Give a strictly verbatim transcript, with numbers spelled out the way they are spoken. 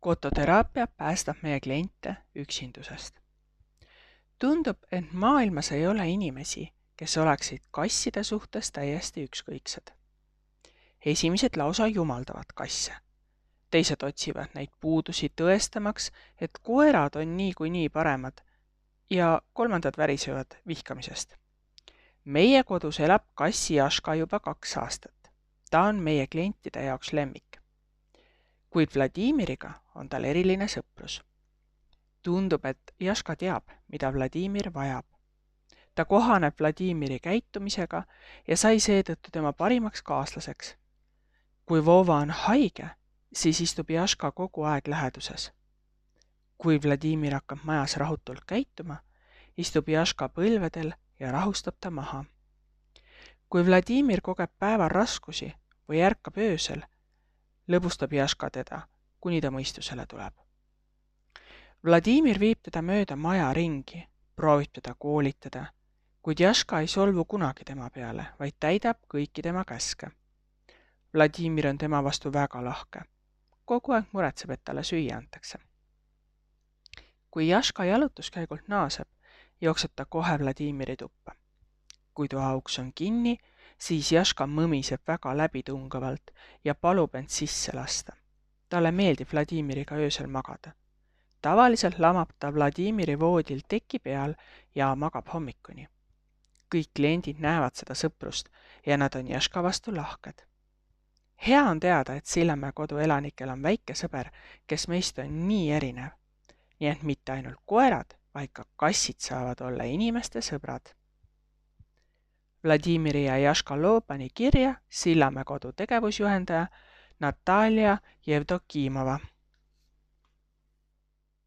Kototeraapia päästab meie kliente üksindusest. Tundub, et maailmas ei ole inimesi, kes oleksid kasside suhtes täiesti ükskõiksed. Esimesed lausa jumaldavad kasse. Teised otsivad neid puudusi tõestamaks, et koerad on nii kui nii paremad ja kolmandad värisevad vihkamisest. Meie kodus elab kassi Jaška juba kaks aastat. Ta on meie klientide jaoks lemmik. Kuid Vladimiriga on tal eriline sõprus. Tundub, et Jaška teab, mida Vladimir vajab. Ta kohaneb Vladimiri käitumisega ja sai seetõttu tema parimaks kaaslaseks. Kui Vova on haige, siis istub Jaška kogu aeg läheduses. Kui Vladimir hakkab majas rahutult käituma, istub Jaška põlvedel ja rahustab ta maha. Kui Vladimir kogeb päeval raskusi või ärkab öösel, lõbustab Jaška teda, kuni ta mõistusele tuleb. Vladimir viib teda mööda maja ringi, proovib teda koolitada, kuid Jaška ei solvu kunagi tema peale, vaid täidab kõiki tema käske. Vladimir on tema vastu väga lahke. Kogu aeg muretseb, et talle süüa antakse. Kui Jaška jalutuskäigult naaseb, jookseb ta kohe Vladimiri tuppa. Kui toa uks on kinni, siis Jaška mõmiseb väga läbitungavalt ja palub end sisse lasta. Talle meeldib Vladimiriga öösel magada. Tavaliselt lamab ta Vladimiri voodil teki peal ja magab hommikuni. Kõik kliendid näevad seda sõprust ja nad on Jaška vastu lahked. Hea on teada, et Sillamäe kodu elanikel on väike sõber, kes meist on nii erinev. Nii et mitte ainult koerad, vaid ka kassid saavad olla inimeste sõbrad. Vladimiri ja Jaška loo pani kirja Sillamäe kodu tegevusjuhendaja Natalja Jevdokimova.